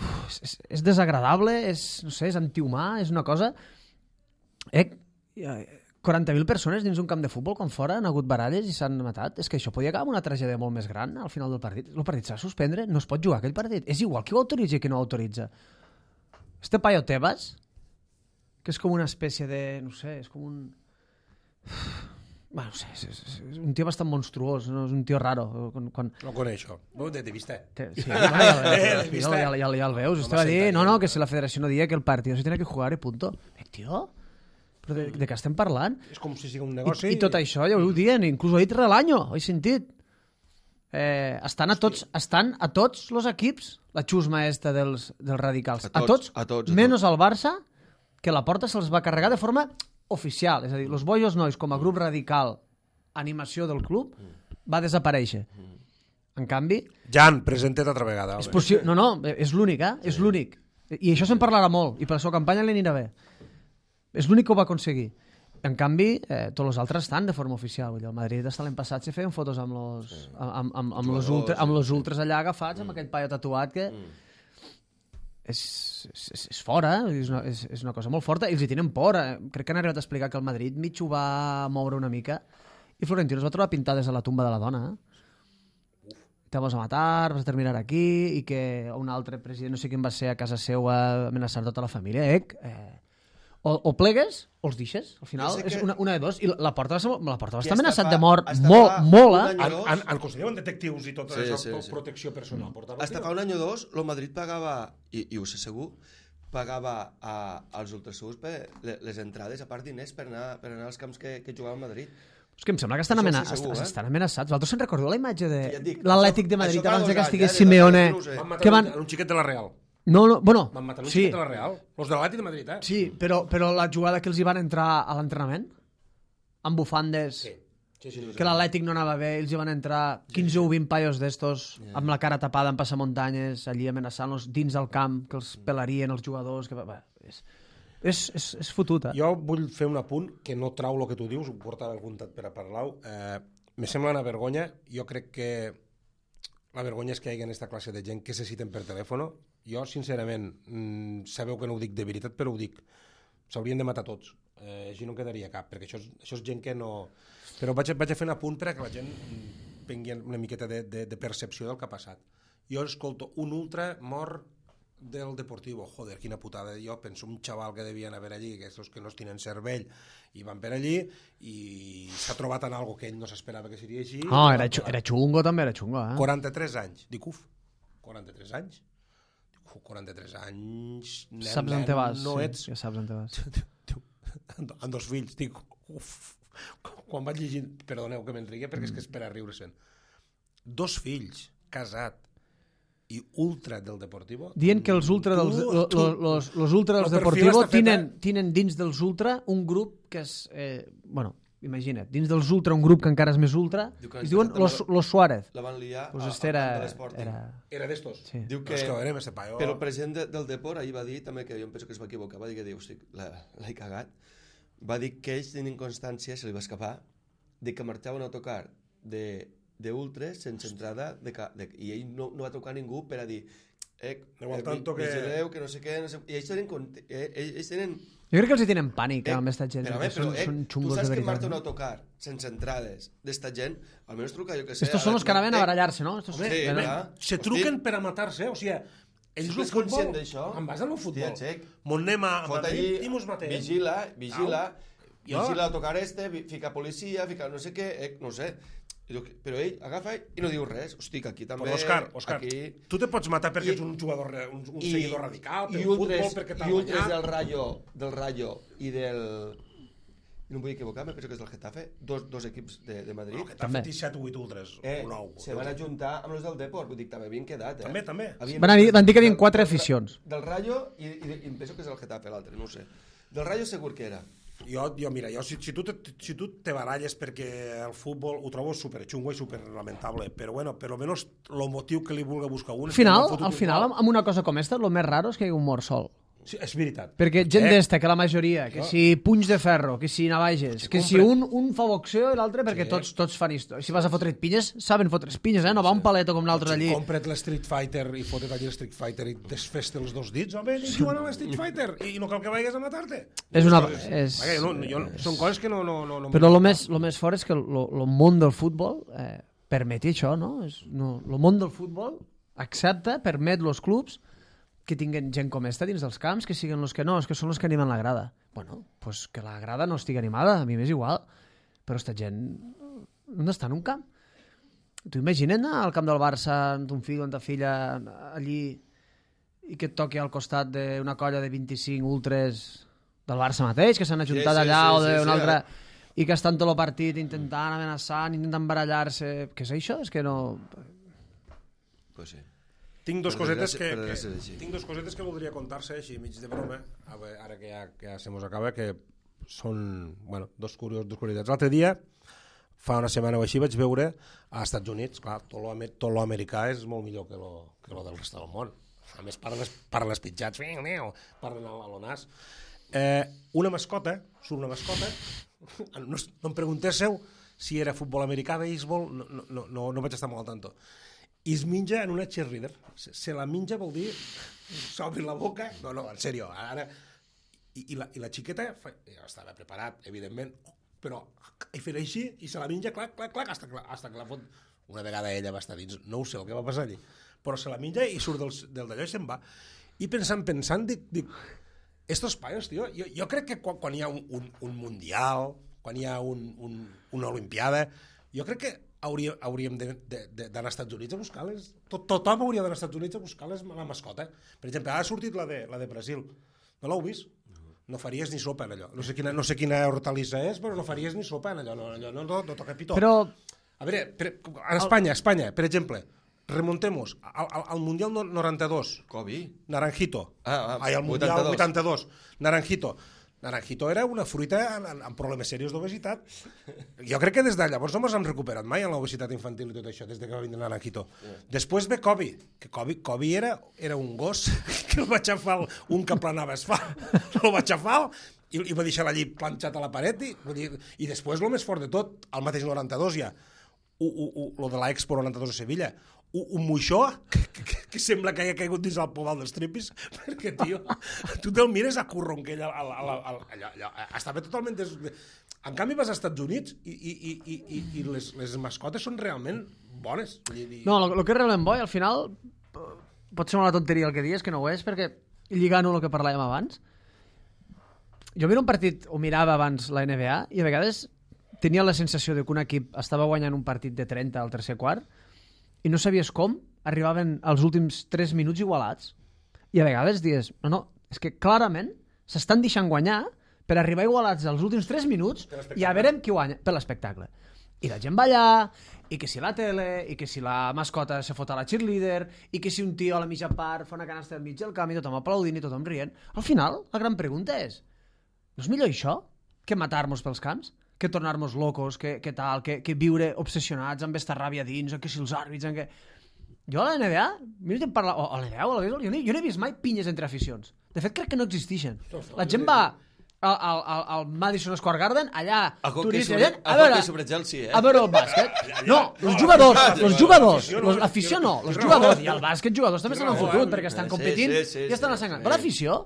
uf, és, és desagradable, és, no sé, és antihumà, és una cosa... Eh, quaranta mil persones dins un camp de futbol quan fora han hagut baralles i s'han matat. És que això podia acabar amb una tragèdia molt més gran al final del partit. El partit s'ha de suspendre, no es pot jugar aquell partit. És igual qui ho autoritza i qui no ho autoritza. Este paio Tebas, que és com una espècie de... no sé, és com un... Bueno, no sé, és, és, és un tio bastant monstruós, no? És un tio raro. Quan, quan... No coneixo, no, de, de vista. Te, sí, no, ja, ja, ja, ja, ja, ja el veus. Usted va dir, no, no, que si la federació no dia que el partit se tiene que jugar i punto. Eh, tio... Però de, de què estem parlant? És com si sigui un negoci... I, i tot això ja ho dient, inclús ho he dit Relaño, ho he sentit. Eh, estan a tots estan a tots els equips, la xusma esta dels, dels radicals. A tots, a tots, a menys tots. al Barça, que la porta se'ls va carregar de forma oficial. És a dir, els Bojos Nois, com a grup radical, animació del club, va desaparèixer. En canvi... Jan, presenta't altra vegada. És possible... No, no, és l'únic, eh? És l'únic. I això se'n parlarà molt, i per la seva campanya li anirà bé. És l'únic que ho va aconseguir. En canvi, eh, tots els altres estan de forma oficial. Vull dir, el Madrid hasta l'any passat se feien fotos amb los, sí. amb, amb, amb, los ultra, amb los ultras allà agafats, mm. amb aquell paio tatuat que... Mm. És, és, és fora, és una, és, és una cosa molt forta, i els hi tenen por. Eh? Crec que han arribat a explicar que el Madrid mig ho va moure una mica, i Florentino es va trobar pintades a la tumba de la dona. Eh? Te vas a matar, vas a terminar aquí, i que un altre president, no sé quin va ser, a casa seva amenaçar tota la família. Eh? eh O, o plegues o els deixes, al final és una, una de dos, i la, la porta va, ser, la porta va estar amenaçat de mort molt, molt, eh? Han, han, han considerat detectius i tot sí, això, sí, sí. protecció personal. Mm. Hasta fa un any o dos, el Madrid pagava, i, i ho sé segur, pagava a, als ultrasurs per les entrades, a part diners, per anar, per anar als camps que, que jugava a Madrid. És que em sembla que estan, amena sí, segur, eh? estan amenaçats. Vosaltres se'n recordeu la imatge de ja l'Atlètic de Madrid abans que estigués Simeone? Van matar van... un xiquet de la Real. No, no, bueno, van matar un sí. xiquet de la Real. Los de l'Atlètic de Madrid, eh? Sí, però, però la jugada que els hi van entrar a l'entrenament, amb bufandes, sí. Sí, sí, sí, que l'Atlètic no anava bé, ells hi van entrar quinze o vint paios d'estos, yeah. amb la cara tapada en passamuntanyes, allí amenaçant-los dins del camp, que els pelarien els jugadors... Que... Bé, és, és, és, és fotut, eh? Jo vull fer un apunt que no trau el que tu dius, ho portava algun tat per a parlar-ho. Eh, me sembla una vergonya. Jo crec que la vergonya és que hi hagi aquesta classe de gent que se citen per telèfon. Jo, sincerament, mmm, sabeu que no ho dic de veritat, però ho dic. S'haurien de matar tots. Eh, així no en quedaria cap, perquè això és, això és gent que no... Però vaig, vaig a fer un apunt per a que la gent prenguin una miqueta de, de, de percepció del que ha passat. Jo escolto un ultra mort del Deportivo, joder, quina putada. Jo penso un xaval que devien haver allí, aquests que no es tenen cervell, i van per allí i s'ha trobat en algo que ell no s'esperava que seria així. No, era, era xungo també, era xungo. Eh? quaranta-tres anys. Dic, uf, quaranta-tres anys? Dic, uf, quaranta-tres anys... Nen, saps on te vas, no sí, ets... ja saps on te vas. Amb dos fills, dic, uf, quan vaig llegir, perdoneu que m'enrigue perquè és que és per a riure-se'n. Dos fills, casat, i ultra del Deportivo. Dient que els ultra dels, tu, lo, tu, lo, los, los ultra dels Deportivo tenen, tenen dins dels ultra un grup que és... Eh, bueno, imagina't, dins dels ultra un grup que encara és més ultra, es diuen los, los Suárez. La van liar pues a, este era, a l'Sporting. era... Era d'estos. Sí. Diu que, no, és que veurem, este paio... però el president de, del Deport ahir va dir també, que jo em penso que es va equivocar, va dir que diu, hosti, l'he cagat, va dir que ells tenien constància, se li va escapar, de que marxava un autocar de, de ultres sense entrada, de, de, i ell no, no va trucar a ningú per a dir eh, eh, tanto que... vigileu, que no sé què, no sé... i ells tenen, eh, ells tenen... Jo crec que els hi tenen pànic, eh, amb aquesta gent. Però, però, són, eh, són tu xungos saps de que veritat. marxa un autocar sense entrades d'esta gent, almenys truca, jo que sé... Estos són els que anaven a barallar-se, no? Estos... Home, Sí, home, clar. se truquen per a matar-se, o sigui, ells el futbol, en base al futbol, mon anem a Madrid i mos matem. Vigila, vigila, Jo- vigila l'autocar este, vi- fica policia, fica no sé què, eh, no sé. I diu que- Però ell agafa i no diu res. Hosti, que aquí també... Però, Òscar, Òscar, aquí... tu te pots matar perquè I- ets un jugador, re- un, un I- seguidor radical, i pel futbol, ultres, perquè i t'ha ultres guanyat. del Rayo, del Rayo i del... No em vull equivocar, me penso que és del Getafe, dos, dos equips de, de Madrid. No, que t'ha També. fet set o vuit ultres, Eh, o nou. se van ajuntar amb els del Deport, vull dir, també havien quedat, eh? També, també. Havien- Van, dir, van dir que hi havia quatre aficions. Del Rayo i, i, i em penso que és el Getafe l'altre, no ho sé. Del Rayo segur que era. Jo, jo mira, jo, si, si, tu te, si tu te baralles perquè el futbol ho trobo superxungo i superlamentable, però bueno, per almenys el motiu que li vulgui buscar un... Al final, al final, amb una cosa com esta, el més raro és que hi hagi un mort sol. Sí, és veritat. Perquè gent Eh, d'esta, que la majoria, que si punys de ferro, que si navages, que si un, un fa boxeo i l'altre, perquè tots, tots fan història. Si vas a fotre't pinyes, saben fotre's pinyes, eh? No va un paleto com l'altre allí. Compra't l'Street Fighter i fotet allí l'Street Fighter i desfes-te els dos dits, home, i jugant a l'Street Fighter i no cal que vagis a matar-te. És una... Coses. És... Vaja, jo no, jo, són coses que no... no, no, no Però el més, lo més fort és que el món del futbol eh, permeti això, no? És, no? El món del futbol accepta, permet els clubs que tinguen gent com esta dins dels camps, que siguin els que no, és que són els que animen la grada. Bueno, pues que la grada no estigui animada, a mi m'és igual, però esta gent no està en un camp. Tu imagina't anar al camp del Barça amb ton fill o amb ta filla allí i que et toqui al costat d'una colla de vint-i-cinc ultres del Barça mateix, que s'han ajuntat Sí, sí, allà sí, o sí, d'un sí, altre... eh? I que estan tot el partit intentant amenaçar, intentant barallar-se... Què és això? És que no... Pues sí. Tinc dos, Per cosetes que, desgràcia- per que, desgràcia, així. tinc dos cosetes que voldria contar-se així mig de broma, a veure, ara que ja, que ja se mos acaba, que són, bueno, dos, curios, dos curiositats. L'altre dia, fa una setmana o així, vaig veure als Estats Units, clar, tot lo, tot lo americà és molt millor que lo, que lo del rest del món. A més, parlen, parlen els pitjats, parlen a lo nas. Eh, una mascota, surt una mascota, no, no em preguntéssiu si era futbol americà, béisbol, no, no, no, no, no vaig estar molt al tanto. I es menja en una cheerleader. Se, se la menja vol dir s'obri la boca. No, no, en sèrio. Ara... I, i, la, I la xiqueta fa, ja estava preparat, evidentment, però hi feia així i se la menja, clac, clac, clac, hasta que, hasta que la fot. Una vegada ella va estar dins, no ho sé el que va passar allí, però se la menja i surt del, del d'allò i se'n va. I pensant, pensant, dic, dic estos paios, tio, jo, jo crec que quan, quan hi ha un, un, un mundial, quan hi ha un, un, una olimpiada, jo crec que hauria, hauríem d'anar als Estats Units a buscar-les. Tot, tothom hauria d'anar als Estats Units a buscar-les la mascota. Per exemple, ha sortit la de, la de Brasil. No l'heu vist? No faries ni sopa en allò. No sé quina, no sé quina hortalissa és, però no faries ni sopa en allò. No, allò no, no, no toca pitó. Però... A veure, per, en Espanya, Espanya, per exemple, remontemos al, al, al Mundial noranta-dos. Kobe. Naranjito. Ah, ah, Ai, al Mundial vuitanta-dos. vuitanta-dos. Naranjito. Naranjito era una fruita amb, amb problemes serios d'obesitat. Jo crec que des de llavors no ens hem recuperat mai en l'obesitat infantil i tot això, des de que va vindre Naranjito. Yeah. Després ve Kobe, que Kobe, Kobe era, era un gos que el va aixafar un que planava asfalt, el va aixafar i, i va deixar allí planxat a la paret i, i després el més fort de tot, el mateix noranta-dos ja, u, u, u, lo de l'Expo noranta-dos a Sevilla, un, un moixó que, que, que sembla que hagi caigut dins el pobal dels tripis, perquè, tio, tu te'l mires a curronquell, al, al, al, al, allò, allò, estava totalment... Des... En canvi vas als Estats Units i, i, i, i, i, i les, les mascotes són realment bones. No, el que és realment bo, i al final pot ser una tonteria el que dius, que no ho és, perquè lligant-ho el que parlàvem abans, jo miro un partit, o mirava abans la N B A, i a vegades tenia la sensació de que un equip estava guanyant un partit de trenta al tercer quart i no sabies com arribaven als últims tres minuts igualats. I a vegades dius, no, no, és que clarament s'estan deixant guanyar per arribar igualats als últims tres minuts i a veure qui guanya, per l'espectacle. I la gent va allà, i que si la tele, i que si la mascota se fot a la cheerleader, i que si un tio a la mitja part fa una canasta al mig del camp i tothom aplaudint i tothom rient. Al final, la gran pregunta és, no és millor això que matar-nos pels camps? Que tornar-nos locos, que, que tal, que, que viure obsessionats amb esta ràbia dins, o que si els àrbits... Que... Jo a la N B A, mira, parla... o a la N B A o a la beisbol, jo no, jo no he vist mai pinyes entre aficions. De fet, crec que no existeixen. La gent va al, al, al, al Madison Square Garden, allà, turista, sobre, gent, a, veure, sobre Chelsea, eh? a veure el bàsquet. No, els jugadors, els jugadors, l'afició no, els jugadors, i el bàsquet jugadors també estan en fotut, perquè estan competint i estan assangant. Però l'afició,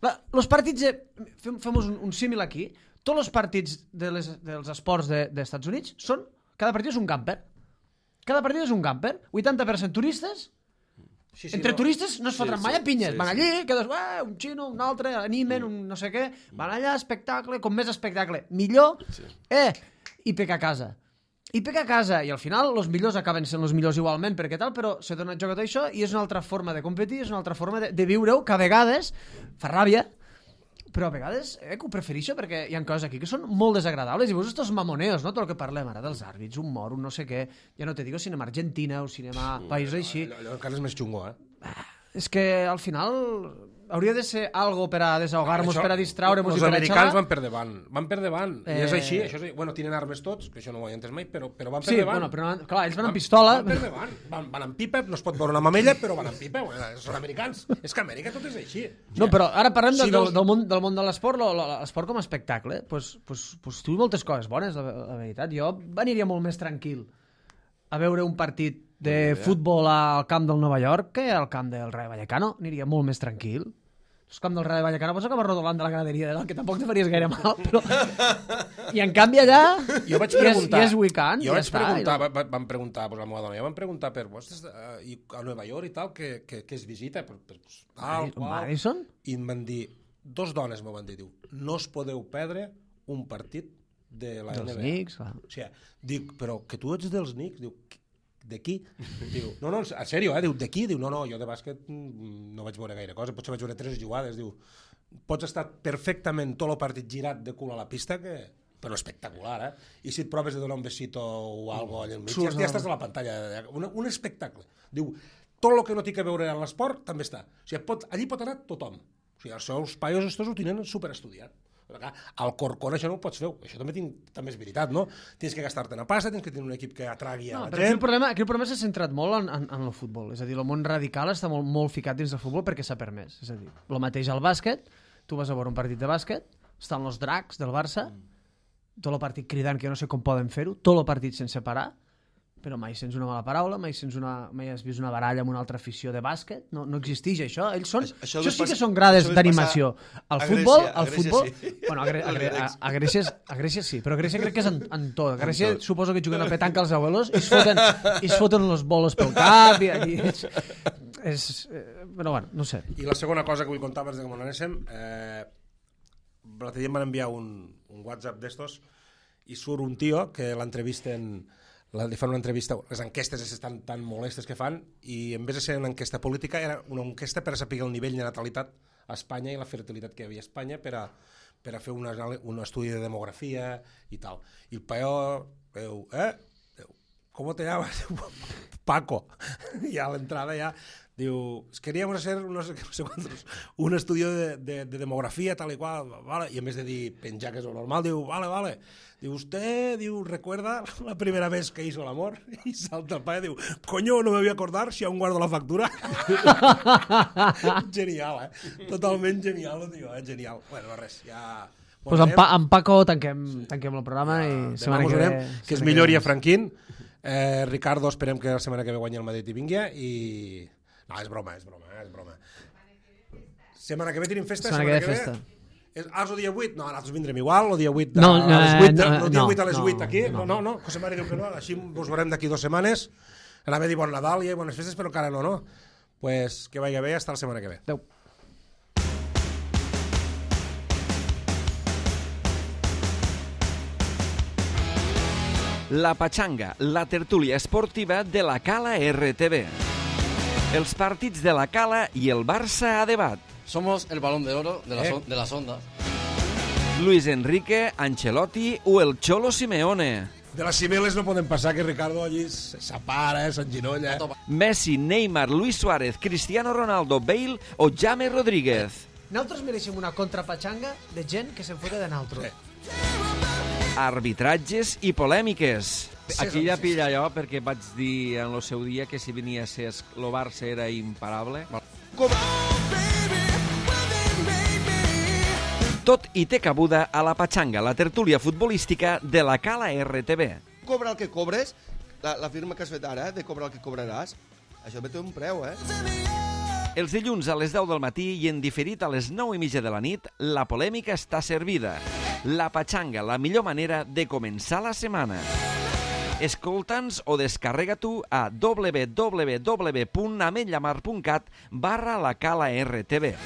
els partits, fem, fem un, un símil aquí, tots els partits de les, dels esports de, dels Estats Units són, cada partit és un camper. Cada partit és un camper. vuitanta per cent turistes. Sí, sí, entre no. turistes no es fotran sí, mai a pinyes. Sí, van allí, sí. quedes, eh, un xino, un altre, animen, un no sé què. Van allà, espectacle, com més espectacle, millor. Sí. Eh, i peca a casa. I peca a casa. I al final els millors acaben sent els millors igualment, perquè tal, però se dona joc a tot això i és una altra forma de competir, és una altra forma de, de viure-ho, que a vegades fa ràbia, però a vegades eh, que ho prefereixo perquè hi ha coses aquí que són molt desagradables i veus estos mamoneos, no? Tot el que parlem ara dels àrbits, un mor, un no sé què, ja no te digo cinema Argentina o cinema països així. Allò, allò encara és més xungo, eh? Ah, és que al final hauria de ser algo per a desahogar-nos, per a distraure-nos i per a xalar. Els americans van per davant, van per davant, eh... i és així, això és, bueno, tenen armes tots, que això no ho he entès mai, però, però van per sí, davant. Bueno, però, clar, ells van amb pistola. Van per davant, van, van amb pipa, no es pot veure una mamella, però van amb pipa, són americans. És que a Amèrica tot és així. No, però ara parlem si del, del, del, món, del món de l'esport, l'esport com a espectacle, pues, pues, pues tu moltes coses bones, la, la veritat. Jo aniria molt més tranquil a veure un partit de futbol al camp del Nova York que al camp del Rayo Vallecano, aniria molt més tranquil. El camp del Rayo Vallecano pots acabar rodolant de la graderia de dalt, que tampoc te faries gaire mal, però... I en canvi allà jo vaig preguntar, i és, és weekend, jo vaig ja preguntar, està. Va, van preguntar, pues, la meva dona, jo van preguntar per vostres, uh, i a Nova York i tal, que, que, que es visita, per, per, pues, tal, qual, Madison? I em van dir, dos dones m'ho van dir, diu, no us podeu perdre un partit de la dels N B A. Dels Knicks, clar. O sigui, dic, però que tu ets dels Knicks, diu, de qui? Diu, no, no, en sèrio, eh? Diu, de qui? Diu, no, no, jo de bàsquet no vaig veure gaire cosa, potser vaig veure tres jugades, diu, pots estar perfectament tot el partit girat de cul a la pista, que... però espectacular, eh? I si et proves de donar un besito o algo allà al mig, ja, ja estàs a la pantalla, un, un espectacle. Diu, tot el que no té que veure amb l'esport també està. O sigui, pot, allí pot anar tothom. O sigui, els seus paios estos ho tenen superestudiat. Al Corcón això no ho pots fer, això també, tinc, també és veritat, no? Tens que gastar-te una pasta, tens que tenir un equip que atragui a no, la però gent. Aquí el problema, aquí el problema s'ha centrat molt en, en, en el futbol, és a dir, el món radical està molt, molt ficat dins del futbol perquè s'ha permès, és a dir, el mateix al bàsquet, tu vas a veure un partit de bàsquet, estan els dracs del Barça, tot el partit cridant, que jo no sé com poden fer-ho, tot el partit sense parar, però mai sents una mala paraula, mai, sents una, mai has vist una baralla amb una altra afició de bàsquet, no, no existeix això. Ells són, això, això, això sí que són grades d'animació. Al futbol, al futbol... Sí. Bueno, a, Gre a, Gre a, a, Grècia, a Grècia sí, però a Grècia crec que és en, en tot. A Grècia suposo que juguen a petanca els abuelos i es foten, i es foten les boles pel cap i, i és, és, eh, però bueno, no sé. I la segona cosa que vull contar abans de que m'ho anéssim, eh, l'altre dia em van enviar un, un WhatsApp d'estos i surt un tio que l'entrevisten, li fan una entrevista, les enquestes estan tan molestes que fan, i en vez de ser una enquesta política era una enquesta per a saber el nivell de natalitat a Espanya i la fertilitat que hi havia a Espanya per a, per a fer una, un estudi de demografia i tal. I el paio diu, eh? ¿Cómo te llamas? Paco. I a l'entrada ja diu, queríamos hacer no sé, no sé cuántos, un estudio de, de, de demografía tal y cual, vale, y en vez de dir penjar que és lo normal, diu, vale, vale, diu, usted, diu, recuerda la primera vez que hizo el amor, y salta el padre, diu, coño, no me voy a acordar si aún guardo la factura. Genial, eh? Totalment genial, tio, eh? Genial. Bueno, res, ja... Pues amb, pa amb Paco tanquem, tanquem el programa ja, i setmana que ve... Que es millori a Franquín. Eh, Ricardo, esperem que la setmana que ve guanyi el Madrid i vingui, i... No, és broma, és broma, és broma. Setmana que ve tenim festa, setmana, setmana que ve festa. És, ah, és el dia vuit? No, nosaltres vindrem igual, el dia vuit, No, a, a les vuit, no, el dia no, vuit a les no, vuit aquí. no. No, no, no, José Mari diu que no, així ens veurem d'aquí dues setmanes. Anava a dir bon Nadal i bones festes, però encara no, no? Pues que vagi bé, hasta la setmana que ve. Adéu. La Pachanga, la tertúlia esportiva de la Cala R T V. Els partits de la Cala i el Barça a debat. Somos el balón de oro de, la Eh. son- de las ondas. Luis Enrique, Ancelotti o el Cholo Simeone. De les cimeles no podem passar que Ricardo allí s'apara, eh, s'enginolla. Messi, Neymar, Luis Suárez, Cristiano Ronaldo, Bale o James Rodríguez. Nosaltres mereixem una contrapatxanga de gent que se'n fota de naltro. Arbitratges i polèmiques. Aquí ja pilla jo, perquè vaig dir en el seu dia que si venia a ser el Barça era imparable. Tot i té cabuda a la Pachanga, la tertúlia futbolística de la Cala R T V. Cobra el que cobres, la, la firma que has fet ara, de cobrar el que cobraràs, això també té un preu, eh? Els dilluns a les deu del matí i en diferit a les nou i mitja de la nit, la polèmica està servida. La Pachanga, la millor manera de començar la setmana. Escolta'ns o descarrega tu a w w w punt ametlllamar punt cat barra la Cala R T V.